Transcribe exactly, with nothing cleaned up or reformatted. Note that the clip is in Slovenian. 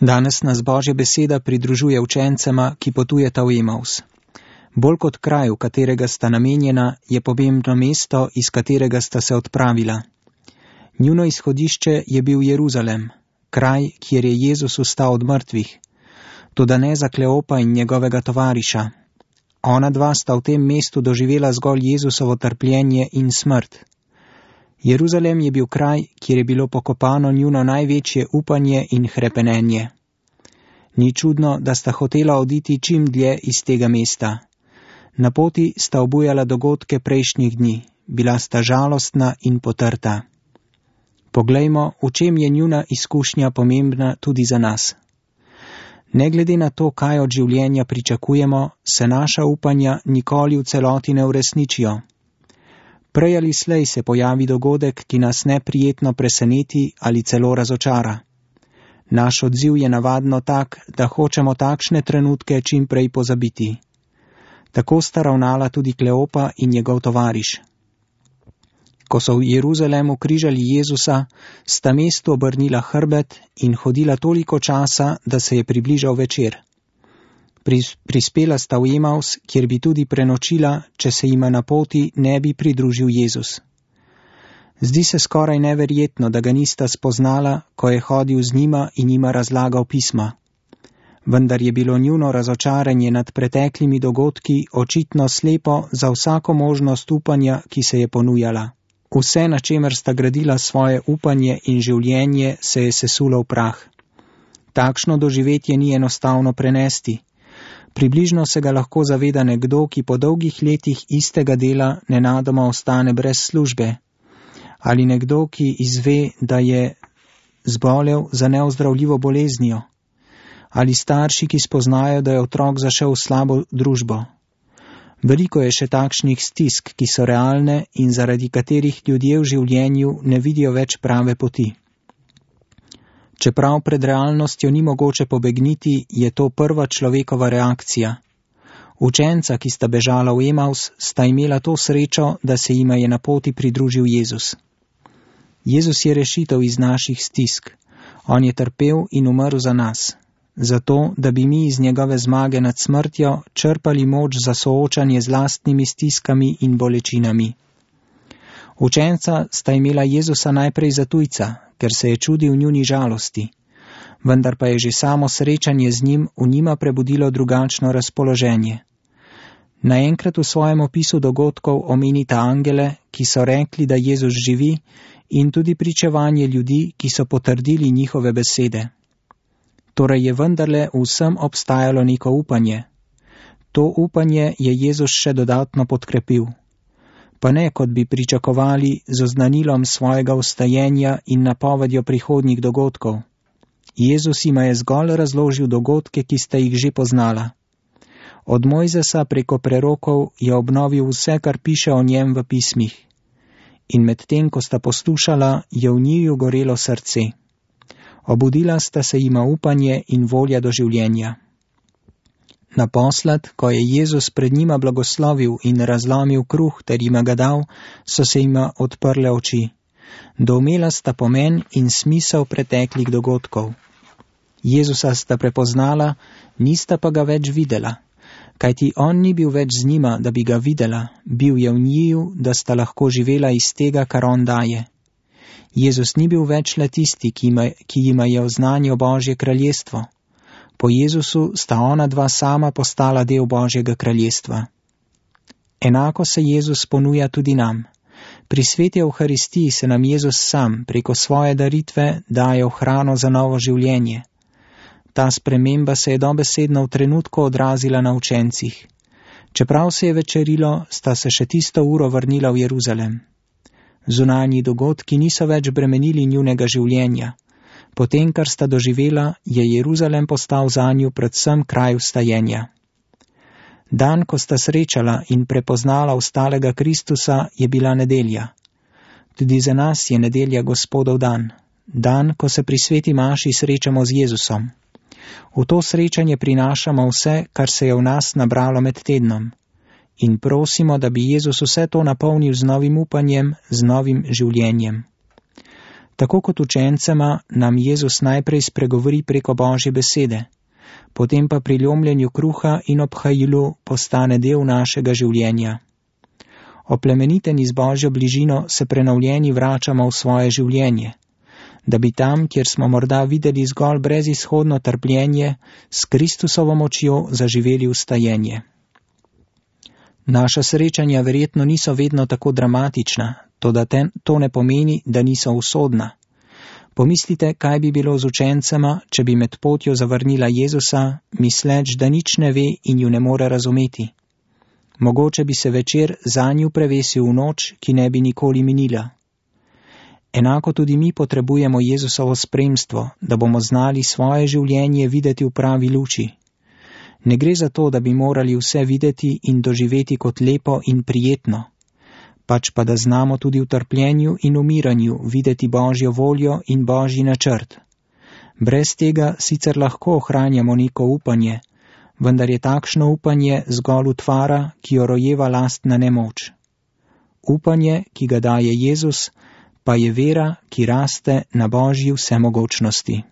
Danes nas Božja beseda pridružuje učencema, ki potujeta v Emaus. Bolj kot kraj, v katerega sta namenjena, je pomembno mesto, iz katerega sta se odpravila. Njuno izhodišče je bil Jeruzalem, kraj, kjer je Jezus vstal od mrtvih, toda ne za Kleopa in njegovega tovariša. Ona dva sta v tem mestu doživela zgolj Jezusovo trpljenje in smrt. Jeruzalem je bil kraj, kjer je bilo pokopano njuno največje upanje in hrepenenje. Ni čudno, da sta hotela oditi čim dlje iz tega mesta. Na poti sta obujala dogodke prejšnjih dni, bila sta žalostna in potrta. Poglejmo, v čem je njuna izkušnja pomembna tudi za nas. Ne glede na to, kaj od življenja pričakujemo, se naša upanja nikoli v celoti ne uresničijo. Prej ali slej se pojavi dogodek, ki nas neprijetno preseneti ali celo razočara. Naš odziv je navadno tak, da hočemo takšne trenutke čim prej pozabiti. Tako sta ravnala tudi Kleopa in njegov tovariš. Ko so v Jeruzalemu križali Jezusa, sta mestu obrnila hrbet in hodila toliko časa, da se je približal večer. Prispela sta v Emaus, kjer bi tudi prenočila, če se jima na poti ne bi pridružil Jezus. Zdi se skoraj neverjetno, da ga nista spoznala, ko je hodil z njima in njima razlagal pisma. Vendar je bilo njuno razočaranje nad preteklimi dogodki očitno slepo za vsako možnost upanja, ki se je ponujala. Vse, na čemer sta gradila svoje upanje in življenje, se je sesulo v prah. Takšno doživetje ni enostavno prenesti. Približno se ga lahko zaveda nekdo, ki po dolgih letih istega dela nenadoma ostane brez službe. Ali nekdo, ki izve, da je zbolel za neozdravljivo boleznijo. Ali starši, ki spoznajo, da je otrok zašel v slabo družbo. Veliko je še takšnih stisk, ki so realne in zaradi katerih ljudje v življenju ne vidijo več prave poti. Čeprav pred realnostjo ni mogoče pobegniti, je to prva človekova reakcija. Učenca, ki sta bežala v Emaus, sta imela to srečo, da se jima je na poti pridružil Jezus. Jezus je rešitev iz naših stisk. On je trpel in umrl za nas. Zato, da bi mi iz njegove zmage nad smrtjo črpali moč za soočanje z lastnimi stiskami in bolečinami. Učenca sta imela Jezusa najprej za tujca, ker se je čudil njuni žalosti, vendar pa je že samo srečanje z njim v njima prebudilo drugačno razpoloženje. Naenkrat v svojem opisu dogodkov omenita angele, ki so rekli, da Jezus živi, in tudi pričevanje ljudi, ki so potrdili njihove besede. Torej je vendarle vsem obstajalo neko upanje. To upanje je Jezus še dodatno podkrepil. Pa ne, kot bi pričakovali, z oznanilom svojega vstajenja in napovedjo prihodnjih dogodkov. Jezus jima je zgolj razložil dogodke, ki sta jih že poznala. Od Mojzesa preko prerokov je obnovil vse, kar piše o njem v pismih. In medtem, ko sta poslušala, je v njiju gorelo srce. Obudila sta se jima upanje in volja do življenja. Naposled, ko je Jezus pred njima blagoslovil in razlomil kruh ter jima ga dal, so se jima odprle oči. Doumela sta pomen in smisel preteklih dogodkov. Jezusa sta prepoznala, nista pa ga več videla, kajti on ni bil več z njima, da bi ga videla, bil je v njiju, da sta lahko živela iz tega, kar on daje. Jezus ni bil več le tisti, ki jima, ki jima je oznanil Božje kraljestvo. Po Jezusu sta ona dva sama postala del Božjega kraljestva. Enako se Jezus ponuja tudi nam. Pri sveti Evharistiji se nam Jezus sam preko svoje daritve daje v hrano za novo življenje. Ta sprememba se je dobesedno v trenutku odrazila na učencih. Čeprav se je večerilo, sta se še tisto uro vrnila v Jeruzalem. Zunanji dogodki niso več bremenili njunega življenja. Potem, kar sta doživela, je Jeruzalem postal zanju predvsem kraj vstajenja. Dan, ko sta srečala in prepoznala vstalega Kristusa, je bila nedelja. Tudi za nas je nedelja Gospodov dan. Dan, ko se pri sveti maši srečamo z Jezusom. V to srečanje prinašamo vse, kar se je v nas nabralo med tednom. In prosimo, da bi Jezus vse to napolnil z novim upanjem, z novim življenjem. Tako kot učencema nam Jezus najprej spregovori preko Božje besede, potem pa pri lomljenju kruha in obhajilu postane del našega življenja. Oplemeniteni z Božjo bližino se prenovljeni vračamo v svoje življenje, da bi tam, kjer smo morda videli zgolj brezizhodno trpljenje, s Kristusovo močjo zaživeli ustajenje. Naša srečanja verjetno niso vedno tako dramatična, toda ten, to ne pomeni, da niso usodna. Pomislite, kaj bi bilo z učencema, če bi med potjo zavrnila Jezusa, misleč, da nič ne ve in ju ne more razumeti. Mogoče bi se večer zanju prevesil v noč, ki ne bi nikoli minila. Enako tudi mi potrebujemo Jezusovo spremstvo, da bomo znali svoje življenje videti v pravi luči. Ne gre za to, da bi morali vse videti in doživeti kot lepo in prijetno, pač pa da znamo tudi v trpljenju in umiranju videti Božjo voljo in Božji načrt. Brez tega sicer lahko ohranjamo neko upanje, vendar je takšno upanje zgolj utvara, ki jo rojeva lastna nemoč. Upanje, ki ga daje Jezus, pa je vera, ki raste na Božji vsemogočnosti.